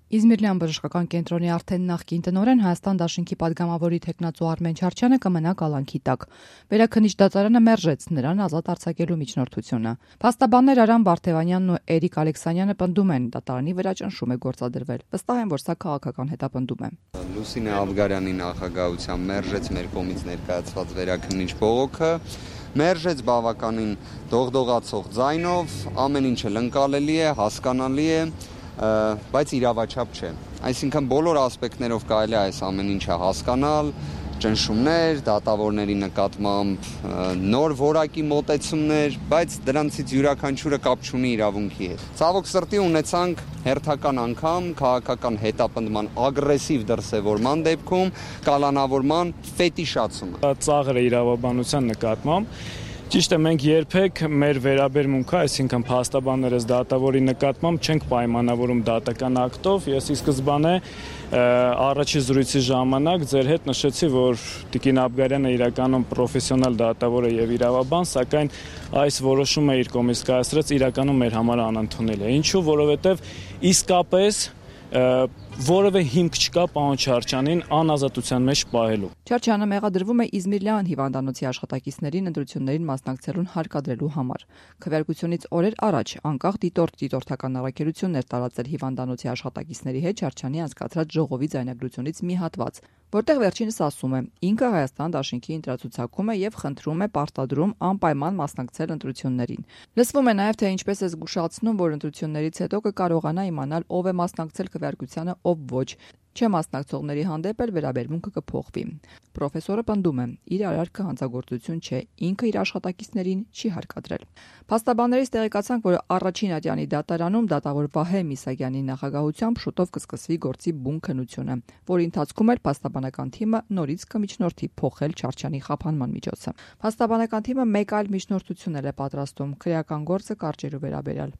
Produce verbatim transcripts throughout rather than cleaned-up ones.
Իզմիրլյան բժշկական կենտրոնի արդեն նախկին տնօրեն Հայաստան դաշինքի падգամավորի թեկնածու Արմեն Չարչյանը կմնա կալանքի տակ։ Վերաքննիչ դատարանը մերժեց նրան ազատ արձակելու միջնորդությունը։ Փաստաբաններ Արամ Վարդևանյանն ու Էրիկ Ալեքսանյանը պնդում են, դատարանի վրա ճնշում է գործադրվել։ Վստահ են, որ սա քաղաքական հետապնդում է։ Լուսինե Աբգարյանի նախագահությամբ մերժեց մեր կողմից ներկայացված վերաքննիչ բողոքը, մերժեց բավականին դողդողացող ձայնով, ամեն ինչը ընկալելի է, հասկանալի է, բայց իրավաչափ չէ։ Այսինքն բոլոր ասպեկտներով կարելի է այս ամեն ինչը հասկանալ, ճնշումներ, դատավորների նկատմամբ նոր որակի մոտեցումներ, բայց դրանցից յուրաքանչյուրը կապ չունի իրավունքի հետ։ Ցավոք սրտի ունեցանք հերթական անգամ քաղաքական հետապնդման ագրեսիվ դրսևորման դեպքում կալանավորման ֆետիշացումը։ Ծաղր է իրավաբանության նկատմամբ։ Ճիշտ է, մենք երբեք մեր վերաբերմունքը, այսինքն փաստաբաններս դատավորի նկատմամբ չենք պայմանավորում դատական ակտով։ Ես ի սկզբանե առաջի զրույցի ժամանակ ձեր հետ նշեցի, որ Տիկին Աբգարյանը իրականում պրոֆեսիոնալ դատավոր է եւ իրավաբան, սակայն այս որոշումը իր կողմից կայացրած իրականում մեր համար անընդունել է։ Ինչու՞, որովհետեւ իսկապես որևէ հիմք չկա պարոն Չարչյանին անազատության մեջ պահելու։ Չարչյանը մեղադրվում է Իզմիրլյան հիվանդանոցի աշխատակիցներին ընտրություններին մասնակցելուն հարկադրելու համար։ Քվեարկությունից օրեր առաջ անկախ դիտորդ դիտորդական առաքելություններ տարածել հիվանդանոցի աշխատակիցների հետ Չարչյանի անցկացրած ժողովի ձայնագրությունից մի հատված, որտեղ վերջինս ասում է. ինքը Հայաստան դաշինքի ընտրացուցակում է եւ խնդրում է պարտադրում անպայման մասնակցել ընտրություններին։ Լսվում է նաեւ, թե ինչպես է զգուշացնում, որ ընտրություններից հետո կկարողանա իմանալ ով է մասնակցել քվեարկությանը, ով ոչ։ Չմասնակցողների հանդեպ էլ վերաբերմունքը կփոխվի։ Պրոֆեսորը պնդում է, իր արարքը հանցագործություն չէ, ինքը իր աշխատակիցներին չի հարկադրել։ Փաստաբաններից տեղեկացանք, որ առաջին ատյանի դատարանում դատավոր Վահե Միսակյանի նախագահությամբ շուտով կսկսվի գործի բուն քննությունը, որի ընթացքում էլ փաստաբանական թիմը նորից կմիջնորդի փոխել Չարչյանի խափանման միջոցը։ Փաստաբանական թիմը մեկ այլ միջնորդություն էլ է պատրաստում քրեական գործը կարճելու վերաբերյալ։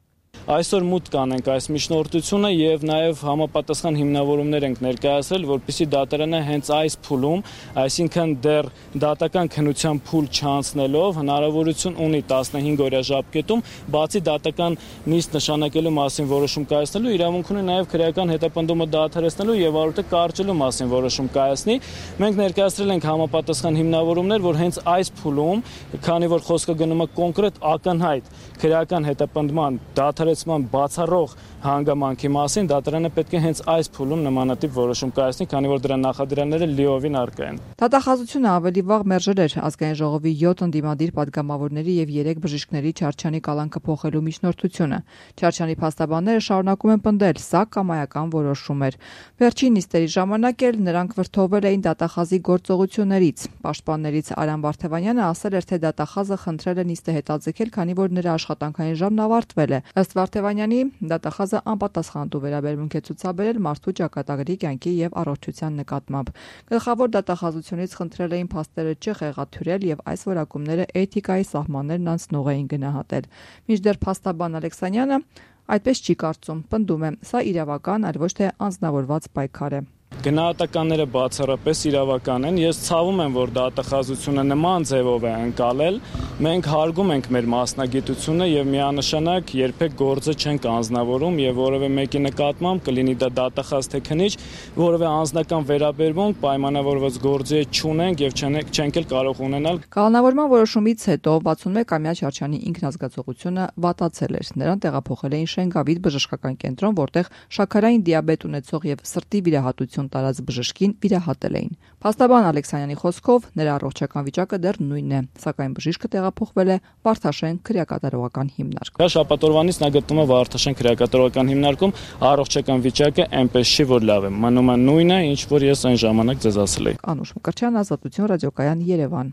Այսօր մուտք կանենք այս միջնորդությունը եւ նաեւ համապատասխան հիմնավորումներ ենք ներկայացրել, որպեսզի դատարանը հենց այս փուլում, այսինքն դեռ դատական քննության փուլ չանցնելով հնարավորություն ունի տասնհինգ օրյա ժամկետում բացի դատական նիստ նշանակելու մասին որոշում կայացնելու իրավունք ունի նաեւ քրեական հետապնդումը դադարեցնելու եւ արուտը կարճելու մասին որոշում կայացնի։ Մենք ներկայացրել ենք համապատասխան հիմնավորումներ, որ հենց այս փուլում, քանի որ խոսքը գնում է կոնկրետ ակնհայտ քրեական հետապնդման դադարեցման բացառող հանգամանքի մասին, դատարանը պետք է հենց այս փուլում նմանատիպ որոշում կայացնի, քանի որ դրա նախադրյալները լիովին առկա են։ Դատախազությունը ավելի վաղ մերժել էր ազգային ժողովի յոթ ընդդիմադիր падգամավորների եւ երեք բժիշկների Չարչյանի կալանքը փոխելու միջնորդությունը։ Չարչյանի փաստաբանները շարունակում են պնդել, սա կամայական որոշում էր։ Վերջին նիստերի ժամանակ էլ նրանք վրթովվել էին դատախազի գործողություններից։ Պաշտպաններից Արամ Վարդևանյանը ասել էր, թե դատախազը խնդրել է նիստը հետաձգել, քանի որ նրա աշխատանքային ժամն ավարտվել է։ Ըստ Վարդևանյանի, դատախազը անպատասխանատու վերաբերմունք է ցուցաբերել մարդու ճակատագրի կյանքի եւ առողջության նկատմամբ։ Գլխավոր դատախազությունից խնդրել էին փաստերը չխեղաթյուրել եւ այս որակումները էթիկայի սահմաններն անցնող էին գնահատել։ Մինչդեռ փաստաբան Ալեքսանյանը այդպես չի կարծում, պնդում է, սա իրավական, այլ ոչ թե անձնավորված պայքար է։ Գնահատականները բացառապես իրավական են։ Ես ցավում եմ, որ դատախազությունը նման ձևով է ընկալել։ Մենք հարգում ենք մեր մասնագիտությունը եւ միանշանակ երբեք գործը չենք անձնավորում եւ որևէ մեկի նկատմամբ կլինի դա դատախազ թե քննիչ, որևէ անձնական վերաբերմունք պայմանավորված գործի չունենք եւ չենք էլ կարող ունենալ։ Կալանավորման որոշումից հետո վաթսունմեկ-ամյա Չարչյանի ինքնազգացողությունը վատացել էր։ Նրան տեղափոխել էին Շենգավիթ բժշկական կենտրոն, որտեղ շաքարային դիաբետ ունեցող եւ սրտի վիրահատություն տարած բժշկին վիրահատել էին։ Փաստաբան Ալեքսանյանի խոսքով նրա առողջական վիճակը դեռ նույնն է, սակայն բժիշկը տեղափոխվել է Վարդաշեն քրեակատարողական հիմնարկ։ Շաբաթօրվանից նա գտնվում է Վարդաշեն քրեակատարողական հիմնարկում, առողջական վիճակը այնպես չի, որ լավ է, մնում է նույնը, ինչ որ ես այն ժամանակ ձեզ ասել էի։ Անուշ Մկրտչյան, Ազատություն ռադիոկայան, Երևան։